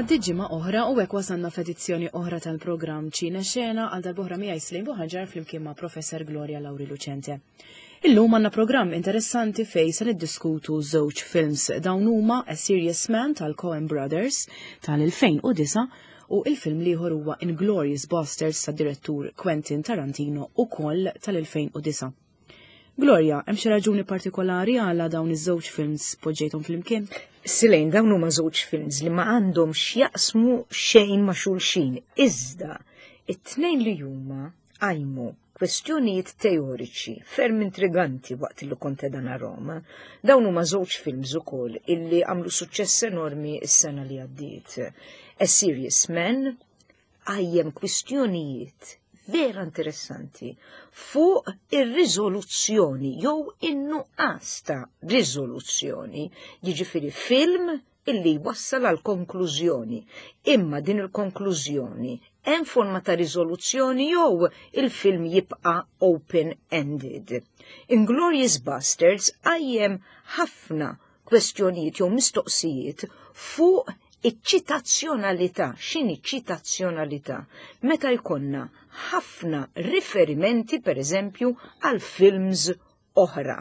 Għaddiet ġimgħa oħra u hekk wasalna f'edizzjoni oħra tal-programm Ċine Xena għal darb'oħra miegħi Slim Buħaġar flimkien ma' Professor Gloria Lauri Lucente. Illum għandna programm interessanti fej se niddiskutu żewġ films dawn huma A Serious Man tal-Coen Brothers tal-2009 u il-film liħor huwa Inglorious Basterds tad-direttur Quentin Tarantino ukoll tal-2009. Gloria, hemm xi raġuni partikolari għala dawn iż-żewġ films poġġejthom flimkien? Silejn, dawn huma żewġ films li ma għandhom x'jaqsmu xejn ma' xulxin. Iżda, it-tnejn li huma qajmu kwestjonijiet teoriċi ferm intriganti waqt li kont qiegħda narahom. Dawn huma żewġ films ukoll illi għamlu suċċess enormi s-sena li għaddiet. A Serious Man qajjem kwistjonijiet vera interessanti fuq ir-riżoluzzjoni jew in-nuqqas ta' riżoluzzjoni, jiġifieri film illi jwassal għal konklużjoni. Imma din il-konklużjoni hemm forma ta' riżoluzzjoni jew il-film jibqa' open-ended. Inglorious Bastards qajjem ħafna kwestjonijiet jew mistoqsijiet fuq iċ-ċitazzjonalità. X'inhi ċitazzjonalità? Meta jkollna ħafna riferimenti pereżempju għal films oħra.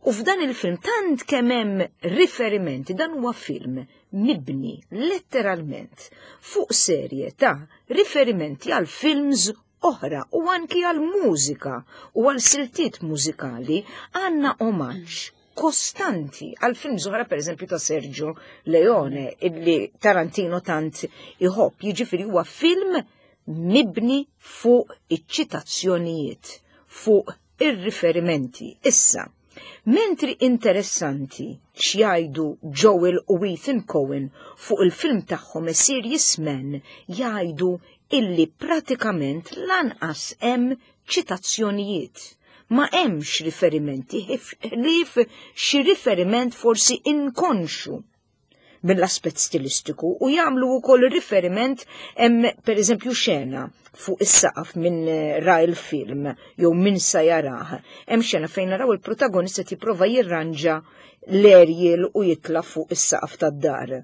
U f'dan il-film tant kemm hemm riferimenti, dan huwa film mibni letteralment fuq serje ta' riferimenti għal films oħra u anki għal mużika u għal siltiet mużikali għandna omaġġ kostanti għal films oħra pereżempju ta' Sergio Leone illi Tarantino tant iħobb, jiġifieri huwa film mibni fuq iċ-ċitazzjonijiet, fuq ir-riferimenti. Issa, mentri interessanti x'jgħidu Joel u Ethan Coen fuq il-film tagħhom A Serious Man jgħidu illi pratikament lanqas hemm ċitazzjonijiet. Ma hemmx riferimenti ħlief xi riferiment forsi inkonxu mill-aspett stilistiku u jagħmlu wkoll riferiment hemm pereżempju xena fuq is-saqaf minn eh, ra il-film jew min sa jarah. Hemm xena fejn naraw il-protagonista qed jipprova jirranġa l-aerial u jitla' fuq is-saqaf tad-dar.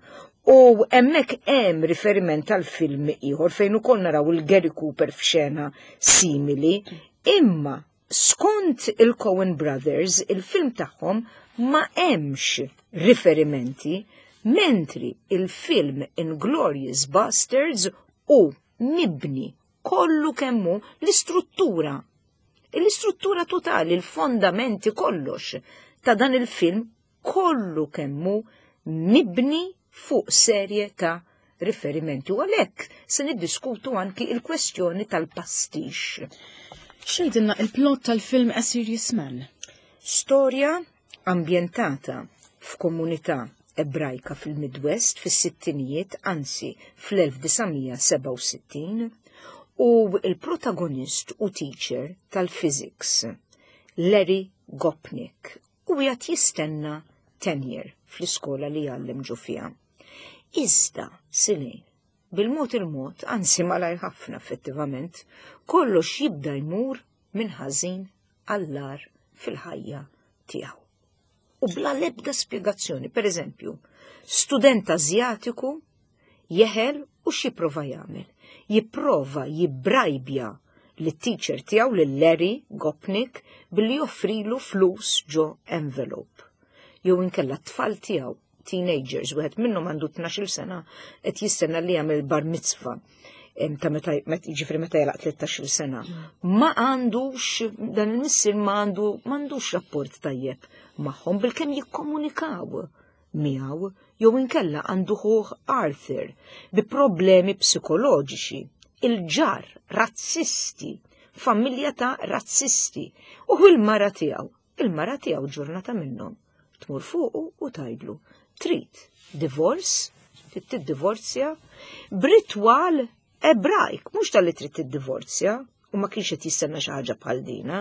U hemmhekk hemm riferiment għal film ieħor fejn ukoll naraw il-Gary Cooper f'xena simili, imma Skont il-Coen Brothers, il-film tagħhom ma hemmx riferimenti, mentri il-film Inglorious Bastards hu mibni kollu kemm hu l-istruttura. L-istruttura totali, il-fondamenti kollox ta' dan il-film kollu kemm hu mibni fuq serje ta' riferimenti u għalhekk se niddiskutu anki il-kwestjoni tal-pastix. Xejdilna il-plot tal-film A Serious Man? Storja ambjentata f'komunità Ebrajka fil-Midwest fis-sittinijiet, anzi fl-1967, u l-protagonist u teacher tal-physics, Larry Gopnik, u qiegħed jistenna tenure fl-iskola li jgħallem ġo fiha. Iżda, Silejn, bil-mod il-mod, anzi malajr ħafna effettivament, kollox jibda jmur minn ħażin għall-agħar fil-ħajja tiegħu. U bla l-ebda spjegazzjoni, per eżempju, student Azjatiku Jeħel u x'jipprova jagħmel? Jipprova jibbrajbja lit-teacher tiegħu lil Larry Gopnik billi joffrilu flus ġo envelope. Jew inkella t-tfal tiegħu, teenagers, wieħed minnhom għandu 12-il sena qed jistenna li jagħmel bar mitzvah ta' meta jiġifieri meta jalaq 13-il sena. Ma għandux dan il-missier ma għandu m'għandux rapport tajjeb magħhom bilkemm jikkomunikaw miegħu jew inkella għandu ħuh Arthur bi problemi psikoloġiċi, il-ġar, razzisti, familja ta' razzisti u il-mara tiegħu, il-mara tiegħu ġurnata minnhom tmur fuqu u tgħidlu trid divorce, trid tiddivorzja b'ritwal Ebrajk, mhux talli trid tiddivorzja, u ma kienx qed jistenna xi ħaġa bħal dina,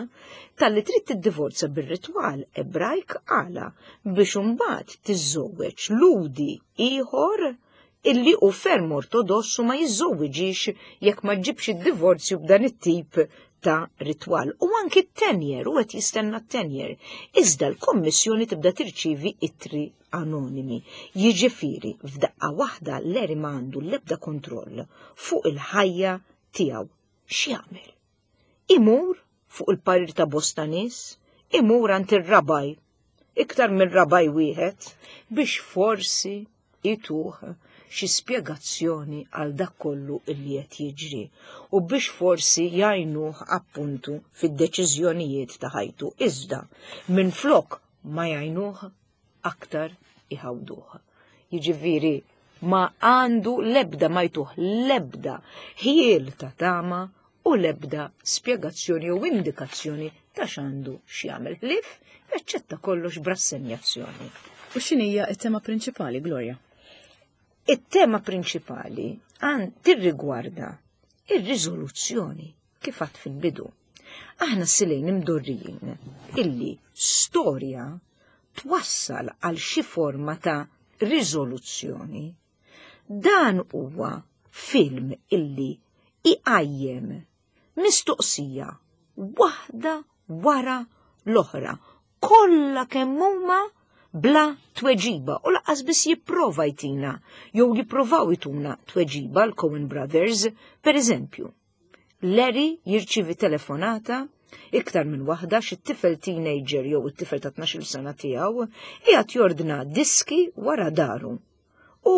talli trid tiddivorzja bir-ritwal Ebrajk għala biex imbagħad tiżżewweġ Lhudi ieħor illi hu ferm ortodoss u ma jiżżewwiġix jekk ma ġġibx id-divorzju b'dan it-tip ta' ritwal. U anki t-tenjer, u qed jistenna t-tenjer. Iżda l-kommissjoni tibda tirċievi ittri anonimi. Jiġifieri f'daqqa waħda Larry ma għandu l-ebda kontroll fuq il-ħajja tiegħu. X'jagħmel? Imur fuq il-parir ta' bosta nies, imur għand ir-rabaj, iktar minn rabaj wieħed, biex forsi ituh xi spjegazzjoni għal dak kollu illi qed jiġri u biex forsi jgħinuh appuntu fid-deċiżjonijiet ta' ħajtu. Iżda minflok ma jgħinuh aktar iħawduh. Jiġifieri ma għandu l-ebda ma jtuh l-ebda ħiel ta' tama u l-ebda spjegazzjoni jew indikazzjoni ta' x'għandu x'jagħmel ħlief jaċċetta kollox b'rassenjazzjoni. U x'inhija t-tema prinċipali, Gloria? It-tema prinċipali għan tirrigwarda ir-riżoluzzjoni kif għad fil-bidu. Aħna silejn imdorrijin illi storja twassal għal xi forma ta' riżoluzzjoni. Dan huwa film illi iqajjem mistoqsija waħda wara l-oħra, kollha kemm huma bla tweġiba u laqas biss jipprova jtina jew jipprovaw jtuna tweġiba l-Coen Brothers, per eżempju. Larry jirċivi telefonata iktar minn waħda xi tifel teenager jew it-tifel ta' 12 sena tiegħu qiegħed jordna diski wara daru. U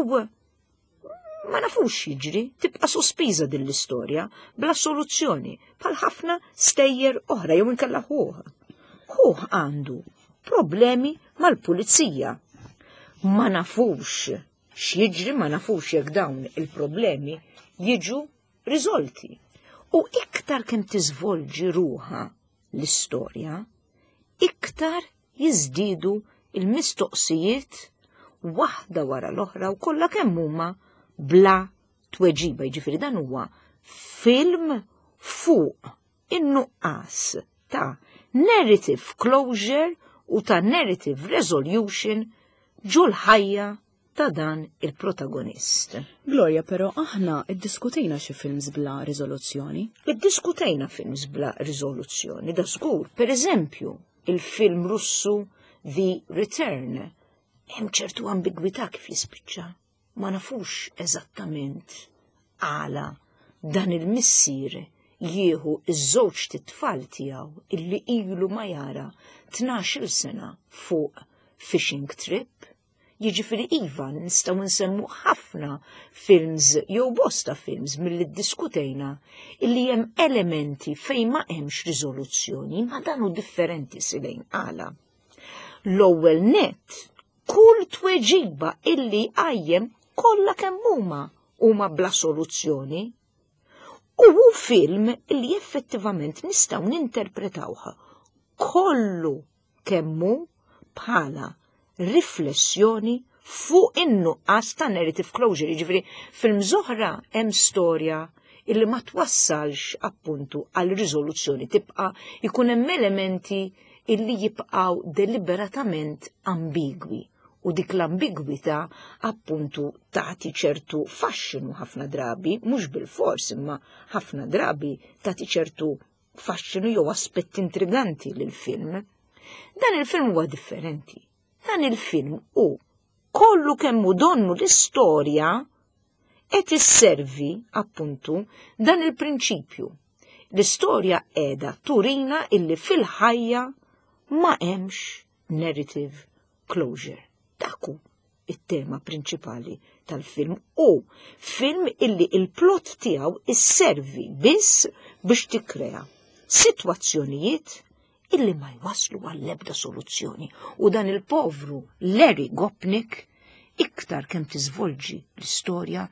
ma nafux jiġri, tibqa' sospiża din l-istorja bla soluzzjoni bħal ħafna stejjer oħra jew inkella ħuh. Ħuh għandu problemi mal-pulizija. Ma nafux x'jiġri, ma nafux jekk dawn il-problemi jiġu riżolti. U iktar kemm tiżvolġi ruħa l-istorja, iktar jiżdiedu l-mistoqsijiet waħda wara l-oħra u kollha kemm huma bla tweġiba. Jiġifieri dan huwa film fuq in-nuqqas ta' narrative closure u ta' narrative resolution ġol-ħajja ta' dan il-protagonist. Gloria, però aħna iddiskutejna xi films bla riżoluzzjoni. Iddiskutejna films bla riżoluzzjoni, da żgur. Per eżempju, il-film Russu The Return. Hemm ċertu ambigwità kif jispiċċa. Ma nafux eżattament għala dan il-missier jieħu iż-żewġ titfal tiegħu illi ilu ma jara 12-il sena fuq fishing trip. Jiġifieri iva nistgħu nsemmu ħafna films jew bosta films milli ddiskutejna illi hemm elementi fejn ma hemmx riżoluzzjoni, ma dan hu differenti silejn għala. L-ewwel nett, kull tweġiba illi jqajjem kollha kemm huma huma bla soluzzjoni. U hu film illi effettivament nistgħu ninterpretawh kollu kemm hu bħala riflessjoni fuq in-nuqqas ta' narrative closure, jiġifieri film oħra hemm storja illi ma twassalx appuntu għal riżoluzzjoni, tibqa' jkun hemm elementi illi jibqgħu deliberatament ambigwi u dik l-ambigwità appuntu tagħti ċertu faxxinu ħafna drabi, mhux bil-fors imma ħafna drabi tagħti ċertu faxxinu jew aspett intriganti lill-film. Dan il-film huwa differenti. Dan il-film hu kollu kemm hu donnu l-istorja qed isservi appuntu dan il-prinċipju. L-istorja qiegħda turina illi fil-ħajja ma hemmx narrative closure. Dak hu it-tema prinċipali tal-film u film illi il-plot tiegħu isservi biss biex tikkrea sitwazzjonijiet illi ma jwaslu għall-ebda soluzzjoni. U dan il-povru Larry Gopnik iktar kemm tiżvolġi l-istorja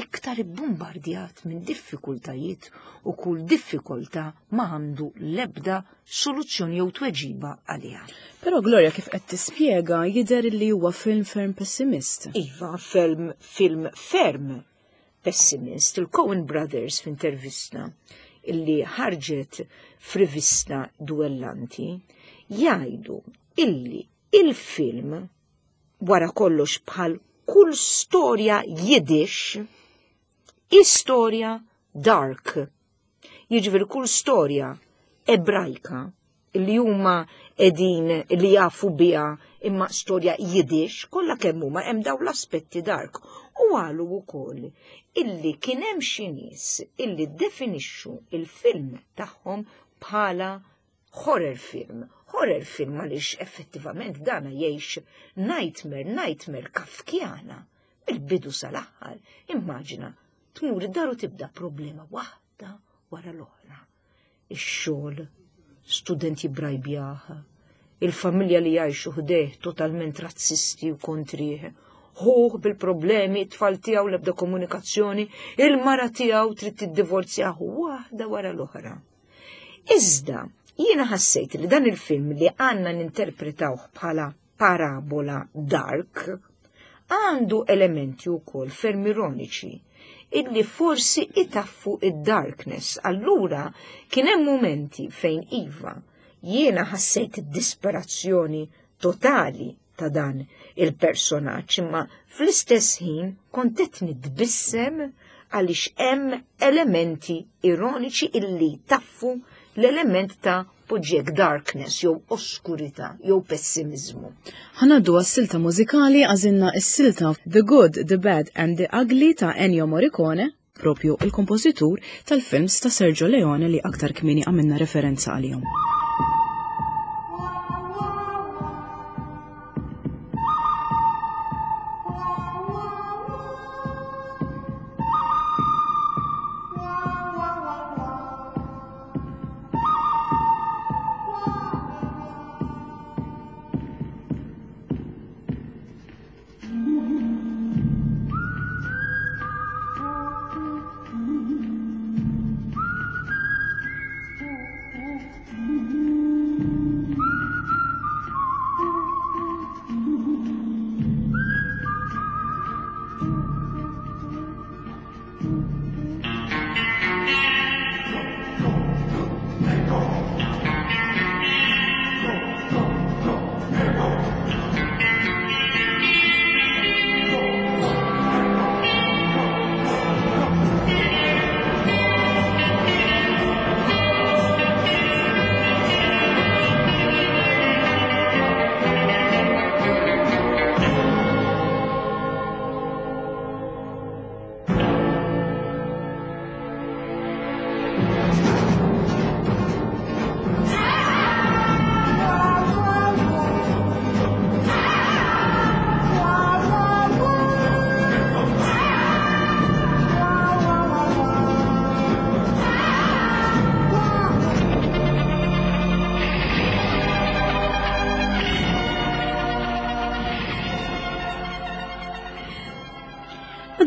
iktar ibbumbardjat minn diffikultajiet u kull diffikultà ma għandu l-ebda soluzzjoni jew tweġiba għaliha. Però Gloria kif qed tispjega jidher li huwa film ferm pessimist. Iva, film, film ferm pessimist. Il-Coen Brothers f'intervista illi ħarġet f'rivista Duellanti jgħidu illi il-film wara kollox bħal kull storja Yiddish, istorja dark. Jiġifieri kull storja Ebrajka li huma qegħdin li jafu biha imma storja Yiddish, kollha kemm huma hemm dawn l-aspetti dark. U qalu wkoll illi kien hemm xi nies illi ddefinixxu il-film tagħhom bħala horror film. Horror film għaliex effettivament dana jgħix nightmare, nightmare kafkjana mill-bidu sal-aħħar. Immaġina tmur id-dar u tibda problema waħda wara l-oħra. Ix-xogħol, student jibbrajbjah, il-familja li jgħixu ħdejh totalment razzisti u kontrih, ħuh bil-problemi, it-tfal tiegħu l-ebda komunikazzjoni, il-mara tiegħu trid tiddivorzjah waħda wara l-oħra. Iżda, jiena ħassejt li dan il-film li għandna ninterpretawh bħala parabola dark, għandu elementi wkoll ferm ironiċi illi forsi itaffu id-darkness. Allura kien hemm mumenti fejn iva jiena ħassejt id-disperazzjoni totali ta' dan il-personaġġ, imma fl-istess ħin kont qed nitbissem għaliex hemm elementi ironiċi illi taffu l-element ta' poġġiek darkness jew oskurità jew pessimiżmu. Ħa ngħaddu għas-silta mużikali għażilna s-silta The Good, The Bad and The Ugly ta' Ennio Morricone, propju il-kompożitur tal-films ta' Sergio Leone li aktar kmieni għamilna referenza għalihom.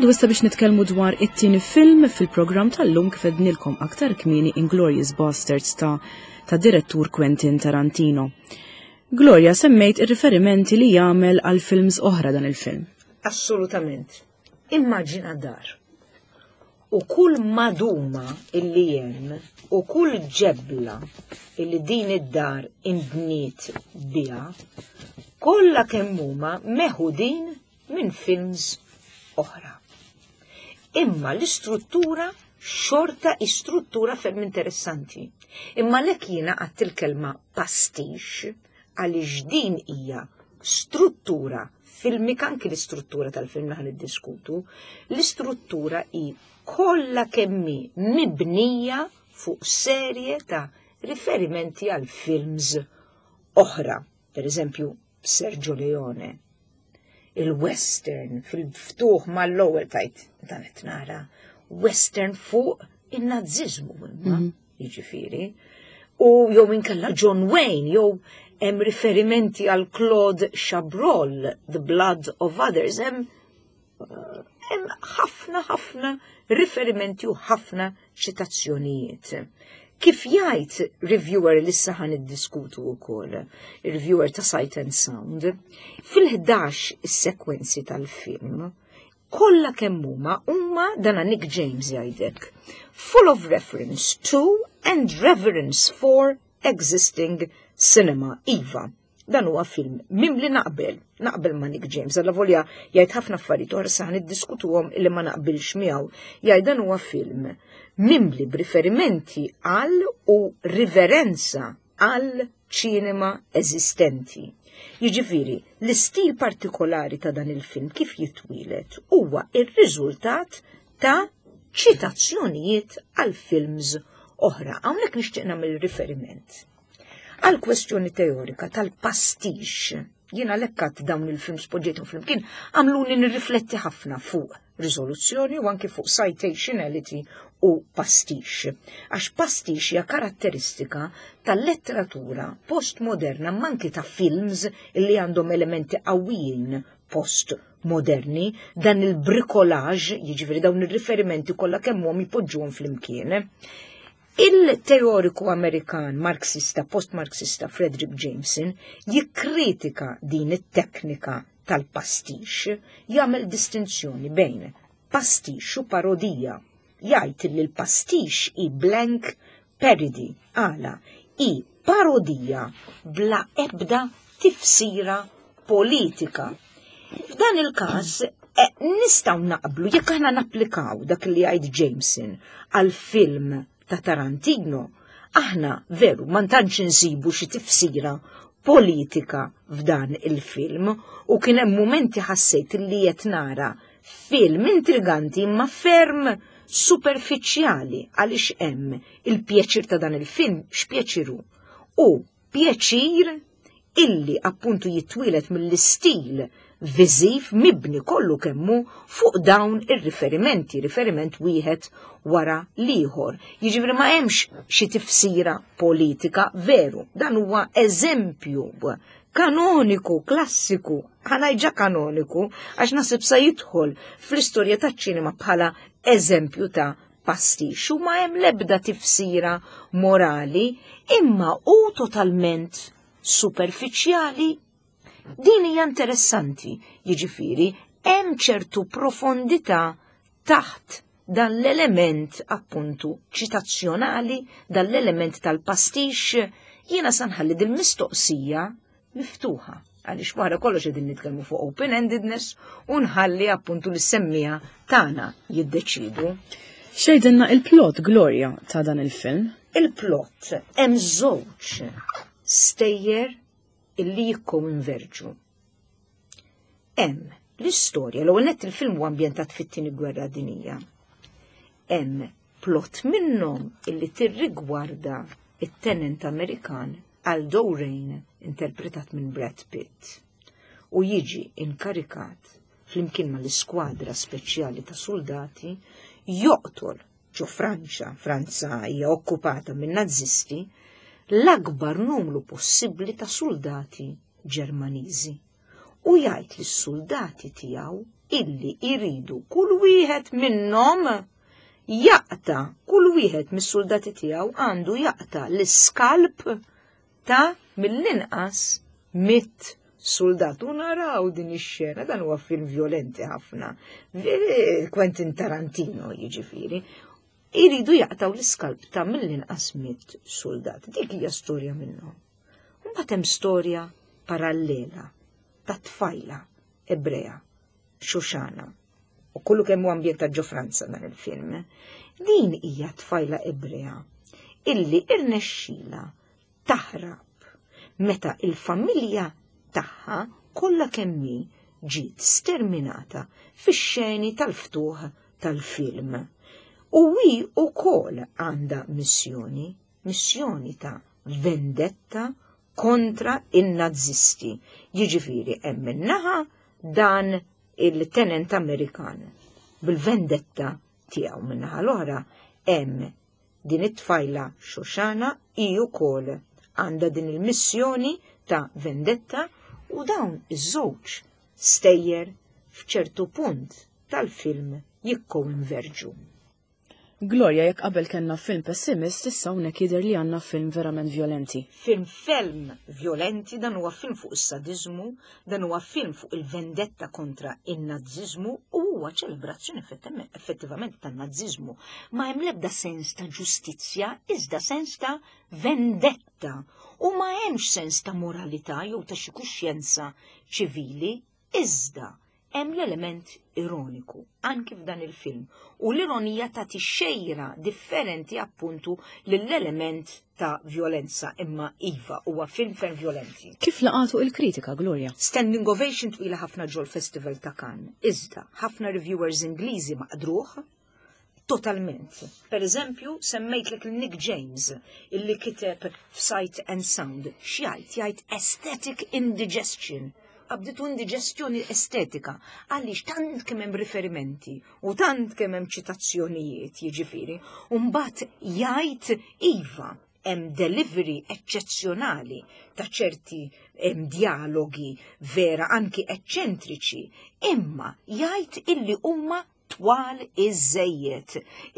Għaddu issa biex nitkellmu dwar it-tieni film fil-programm tal-lum kif ednilkom aktar kmieni Inglourious Basterds ta' ta' direttur Quentin Tarantino. Gloria, semmejt ir-riferimenti li jagħmel għal films oħra dan il-film. Assolutament. Immaġina dar. U kull maduma illi hemm u kull ġebla illi din id-dar inbniet biha, kollha kemm huma meħudin minn films oħra. Imma l-istruttura xorta istruttura ferm interessanti. Imma lek jiena għadt il-kelma pastix għaliex din hija struttura filmika anki l-istruttura tal-film li niddiskutu, l-istruttura hi kollha kemmi mibnija fuq serje ta' riferimenti għal films oħra. Per eżempju, Sergio Leone, il-western fil-ftuħ mal-ewwel tajt dan qed nara western fuq in-naziżmu imma mhm. jiġifieri. U jew inkella John Wayne jew hemm riferimenti għal Claude Chabrol, The Blood of Others, hemm hemm ħafna ħafna riferimenti u ħafna ċitazzjonijiet. Kif jgħid reviewer li issa ħan iddiskutu wkoll, reviewer ta' Sight and Sound, fil-11 is-sekwenzi tal-film, kollha kemm huma huma dana Nick James jgħidek, full of reference to and reverence for existing cinema. Iva, Dan huwa film mimli naqbel, naqbel ma' Nick James, alla volja jgħid ħafna affarijiet oħra sa niddiskutuhom illi ma naqbilx miegħu. Jgħid dan huwa film mimli b'riferimenti għal u riverenza għal ċinema eżistenti. Jiġifieri, l-istil partikolari ta' dan il-film kif jitwieled huwa r-riżultat ta' ċitazzjonijiet għal films oħra. Hawnhekk nixtieq nagħmel riferiment għal kwestjoni teorika tal-pastix. Jiena lekkat dawn il-films poġġejthom flimkien għamluni nirrifletti ħafna fuq riżoluzzjoni u anki fuq citationality u pastix. Għax pastix hija karatteristika tal-letteratura postmoderna manki ta' films li għandhom elementi qawwijin postmoderni, dan il-bricolage, jiġifieri dawn ir-riferimenti kollha kemm hom jpoġġuhom flimkien. Il-teoriku Amerikan Marxista post-Marxista Fredric Jameson jikkritika din it-teknika tal-pastix, jagħmel distinzjoni bejn pastix u parodija. Jgħid li l-pastix hi blank parody, għala hi parodija bla ebda tifsira politika. F'dan il-każ eh, nistgħu naqblu jekk aħna napplikaw dak li jgħid Jameson għal film ta' Tarantino, aħna veru ma tantx insibu xi tifsira politika f'dan il-film u kien hemm mumenti ħassejt li qed nara film intriganti imma ferm superfiċjali għaliex hemm il-pjaċir ta' dan il-film x'pjaċiru u pjaċir illi appuntu jitwieled mill-istil viżiv mibni kollu kemmu fuq dawn ir-riferimenti, riferiment wieħed wara l-ieħor. Jiġifieri ma hemmx xi tifsira politika veru, dan huwa eżempju kanoniku, klassiku, ħanajġa kanoniku, għax nasib sa jidħol fl-istorja taċ-ċinema bħala eżempju ta' pastix u ma hemm l-ebda tifsira morali imma hu totalment superfiċjali. Din hija interessanti, jiġifieri hemm ċertu profondità taħt dan l-element appuntu ċitazzjonali, dan l-element tal-pastix, jiena sanħalli dil-mistoqsija miftuħa għaliex wara kollox qegħdin nitkellmu fuq open-endedness u nħalli appuntu l-semmija tagħna jiddeċidu. Xejdenna il-plot Gloria ta' dan il-film? Il-plot hemm żewġ stejjer illi jikkonverġu. Hemm l-istorja, l-ewwel nett il-film huwa ambjentat fit-tieni gwerra dinija. Hemm plot minnhom illi tirrigwarda it-tenent Amerikan Aldo Rain interpretat minn Brad Pitt u jiġi inkarikat flimkien mal-iskwadra speċjali ta' soldati joqtol ġo Franċa, Franza hija okkupata minn Nazisti, l-akbar numru possibbli ta' soldati Ġermaniżi u jgħid lis-suldati tiegħu illi jridu kull wieħed minnhom jaqta' kull wieħed mis-suldati tiegħu għandu jaqta' l-iskalp ta' mill-inqas mit soldat. U naraw din ix-xena, dan huwa film violenti ħafna. Quentin Tarantino jiġifieri. Iridu jaqtaw l-iskalp ta' mill-inqas mit soldat. Dik hija storja minnhom. Mbagħad hemm storja parallela ta' tfajla Ebrea, Xuxana, u kollu kemm hu ambjentat ġo Franza dan il-film. Din hija tfajla Ebrea illi irnexxila taħrab meta il-familja tagħha kollha kemm hi ġiet sterminata fix-xeni tal-ftuħ tal-film. U hi wkoll għandha missjoni, missjoni ta' vendetta kontra in-Nazisti. Jiġifieri hemm min-naħa dan il-tenent Amerikan bil-vendetta tiegħu min-naħa l-oħra hemm Din it-tfajla Xoxana hi wkoll għandha din il-missjoni ta' vendetta u dawn iż-żewġ stejjer f'ċertu punt tal-film jikkoinverġu. Gloria, jekk qabel kellna film pessimist, issa hawnhekk jidher li għandna film verament violenti. Film ferm violenti, dan huwa film fuq is-sadiżmu, dan huwa film fuq il-vendetta kontra in-Naziżmu u huwa ċelebrazzjoni effettivament tan-Naziżmu. Ma hemm l-ebda sens ta' ġustizzja, iżda sens ta' vendetta u ma hemmx sens ta' moralità jew ta' xi kuxjenza ċivili, iżda Hemm l-element ironiku anki f'dan il-film u l-ironija tagħti xejra differenti appuntu lill-element ta' vjolenza imma iva huwa film ferm vjolenti. Kif laqatu il-kritika, Gloria? Standing ovation twila ħafna ġol Festival ta' Cannes. Iżda, ħafna reviewers Ingliżi maqdruh totalment. Per eżempju, semmejtlek il-Nick James illi kiteb f'Sight and Sound. X'jgħid? Jgħid aesthetic indigestion. Qabditu indigestjoni estetika għaliex tant kemm hemm riferimenti u tant kemm hemm ċitazzjonijiet, jiġifieri, u mbagħad jgħid iva hemm delivery eċċezzjonali ta' ċerti dialogi vera anki eċċentriċi, imma jgħid illi huma twal iżżejjed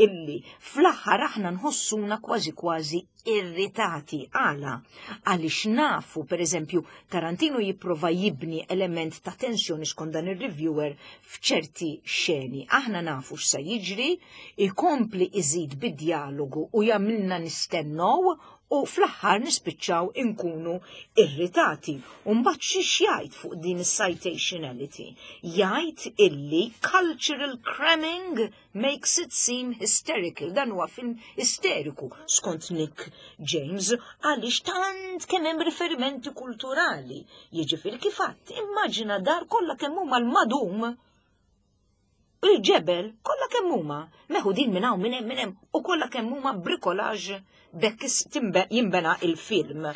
illi fl-aħħar aħna nħossuna kważi kważi irritati. Għala? Għaliex nafu, per eżempju, Tarantino jipprova jibni element ta' tensjoni skont dan ir-reviewer f'ċerti xeni. Aħna nafu x'sa jiġri, ikompli iżid bid-djalogu u jagħmilna nistennew u fl-aħħar nispiċċaw inkunu irritati. U mbagħad xi jgħid fuq din is-citationality? Jgħid illi cultural cramming makes it seem hysterical. Dan huwa film isteriku skont Nick James għaliex tant kemm hemm riferimenti kulturali. Jiġifieri kif għadt, immaġina dar kollha kemm huma l-madum Il-ġebel kollha kemm huma meħudin minn hawn minn hemm minn hemm u kollha kemm huma bricolage bekk jinbena il-film.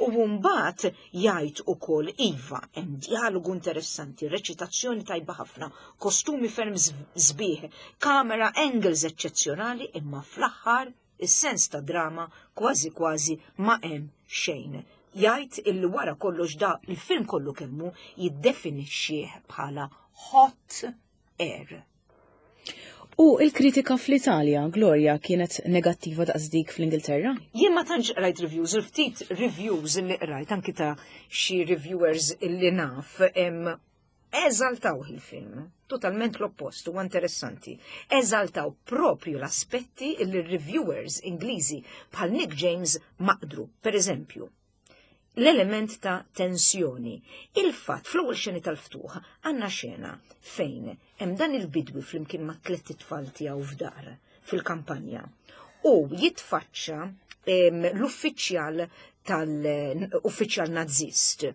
U mbagħad jgħid ukoll iva hemm dialogu interessanti, reċitazzjoni tajba ħafna, kostumi ferm sbieħ, camera angles eċċezzjonali imma fl-aħħar is-sens ta' drama kważi kważi ma hemm xejn. Jgħid illi wara kollox da il-film kollu kemmu jiddefinixxih bħala hot air. U il-kritika fl-Italja, Gloria, kienet negattiva daqs dik fl-Ingilterra? Jien ma tantx qrajt reviews, il-ftit reviews li qrajt anki ta' xi reviewers li naf eżaltaw il-film. Totalment l-oppost, huwa interessanti. Eżaltaw propju l-aspetti li reviewers Ingliżi bħal Nick James maqdru. Per eżempju, l-element ta' tensjoni. Il-fatt fl-ewwel xeni tal-ftuħ għandna xena fejn hemm dan il-bidwi flimkien ma' tlett itfal tiegħu f'dar fil-kampanja u jitfaċċa l-uffiċjal tal-uffiċjal nazist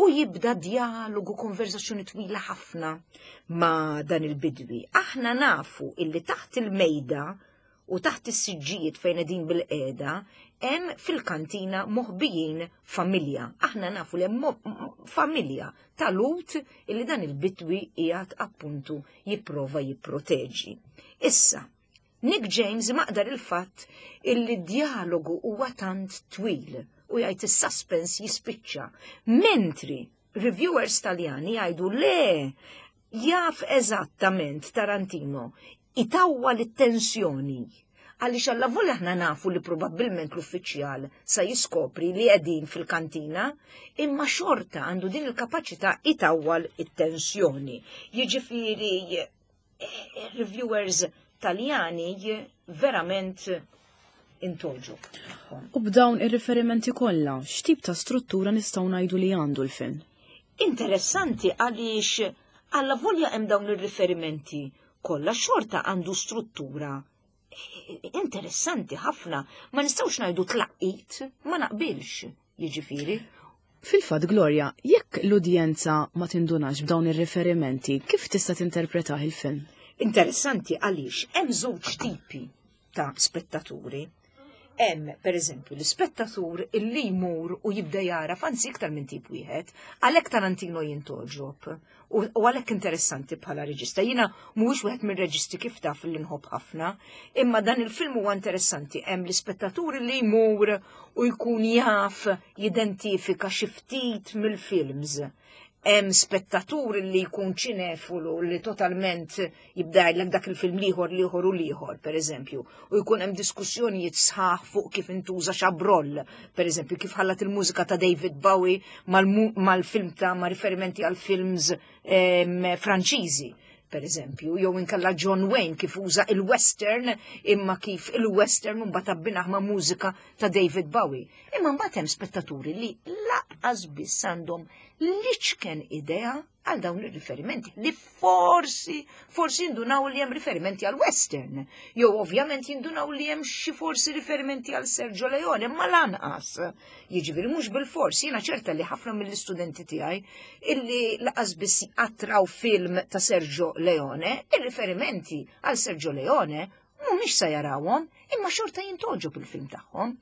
u jibda dialogu konverzazzjoni twila ħafna ma' dan il-bidwi. Aħna nafu illi taħt il-mejda u taħt is-siġġijiet fejn qegħdin bil-qiegħda hemm fil-kantina moħbijin familja. Aħna nafu li hemm familja ta' Lut illi dan il-bitwi qiegħed appuntu jipprova jipproteġi. Issa, Nick James maqdar il-fatt illi d-dialogu huwa tant twil u jgħid is-suspense jispiċċa, mentri reviewers Taljani jgħidu le jaf eżattament Tarantino itawwal it-tensjoni għaliex allavolja aħna nafu li probabbilment l-uffiċjal sa jiskopri li qegħdin fil-kantina, imma xorta għandu din il-kapaċità itawwal it-tensjoni. Jiġifieri eh, reviewers Taljani verament intolġu. U b'dawn ir-riferimenti kollha, x'tip ta' struttura nistgħu ngħidu li għandu l-film? Interessanti għaliex allavolja hemm dawn ir-riferimenti kollha xorta għandu struttura interessanti ħafna. Ma nistgħux ngħidu tlaqqit, ma naqbilx, jiġifieri. Fil-fatt, Gloria, jekk l-udjenza ma tindunax b'dawn ir-riferimenti, kif tista' tinterpretah il-film? Interessanti għaliex hemm żewġ tipi ta' spettaturi. Hemm, per eżempju, l-ispettatur illi jmur u jibda jara anzi iktar minn tip wieħed, għalhekk Tarantino jintogħġob u għalhekk interessanti bħala reġista. Jiena mhuwiex wieħed mir-reġisti kif taf li nħobb ħafna, imma dan il-film huwa interessanti. Hemm l-ispettatur li jmur u jkun jaf jidentifika xi ftit mill-films. Hemm spettatur li jkun ċinefulu li totalment jibda jgħidlek dak il-film liħor liħor u liħor, per eżempju, u jkun hemm diskussjonijiet sħaħ fuq kif intuża Chabrol, per eżempju, kif ħallat il-mużika ta' David Bowie mal-film ta' ma' riferimenti għal films Franċiżi, per eżempju, jew inkella John Wayne kif uża il-western imma kif il-western mbagħad abbinaħ ma' mużika ta' David Bowie. Imma mbagħad hemm spettaturi li laqqas biss għandhom l-iċken idea. għal dawn ir-riferimenti li forsi, forsi jindunaw li hemm riferimenti għal western, jew ovvjament jindunaw li hemm xi forsi riferimenti għal Sergio Leone, ma lanqas. Jiġifieri mhux bil-fors, jiena ċerta li ħafna mill-istudenti tiegħi illi laqas biss attraw film ta' Sergio Leone, ir-riferimenti għal Sergio Leone mhumiex sa jarawhom, imma xorta jintoġob il-film tagħhom.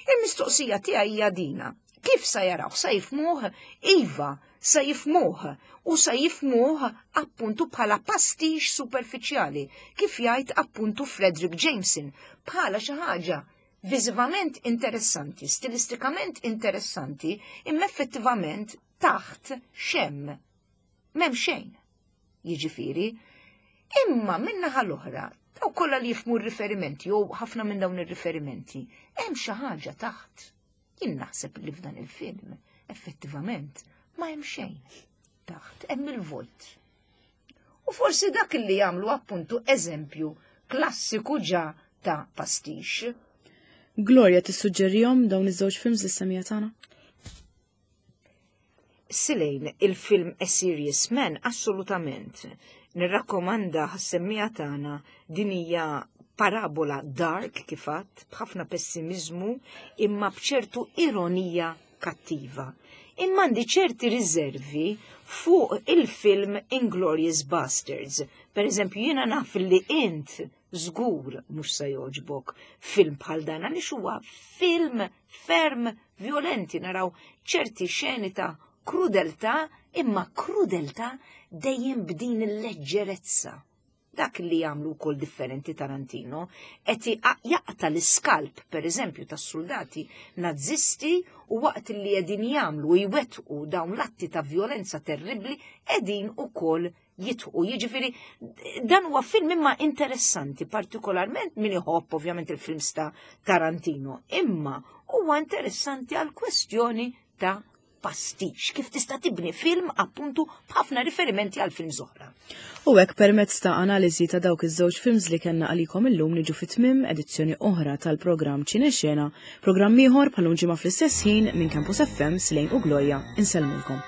Il-mistoqsija tiegħi hija dina. Kif sa jaraw? Sa jifmuh? Iva, sa jifmuh u sa jifmuh appuntu bħala pastix superfiċjali, kif jgħid appuntu Frederick Jameson, bħala xi ħaġa viżivament interessanti, stilistikament interessanti, imma effettivament taħt xem. M'hemm xejn. Jiġifieri, imma min-naħa l-oħra, daw kollha li jifmu r-riferimenti jew ħafna minn dawn ir-riferimenti, hemm xi ħaġa taħt. Jien naħseb li f'dan il-film, effettivament, ma hemm xejn taħt, hemm il-vojt. U forsi dak li jagħmlu appuntu eżempju klassiku ġa ta' pastix. Gloria tissuġġerihom dawn iż-żewġ films lis-semija tagħna? Silejn, il-film A Serious Man assolutament. Nirrakkomanda ħas-semmiegħa tagħna din hija parabola dark kif għadt, b'ħafna pessimizmu imma b'ċertu ironija kattiva. Imma għandi ċerti riservi fuq il-film Inglorious Bastards. Per eżempju, jiena naf li int żgur mhux se jogħġbok film bħal dan għaliex huwa film ferm violenti naraw ċerti xeni ta' krudeltà imma krudeltà dejjem b'din il-leġġerezza. Dak li jagħmlu wkoll differenti Tarantino, qed jaqta' l-iskalp pereżempju tas-soldati nazisti u waqt li qegħdin jagħmlu jwettqu dawn l-atti ta' violenza terribbli qegħdin ukoll jitħu. Jiġifieri dan huwa film imma interessanti, partikolarment min iħobb ovvjament il-films ta' Tarantino, imma huwa interessanti għal kwestjoni ta' pastix, kif tista' tibni film appuntu b'ħafna riferimenti għal film oħra. U hekk permezz ta' analiżi ta' dawk iż-żewġ films li kellna għalikom illum niġu fit-tmiem edizzjoni oħra tal-programm Ċinexena, programm ieħor bħal ġimgħa fl-istess ħin minn Campus FM Slejn u Gloria insellmulkom.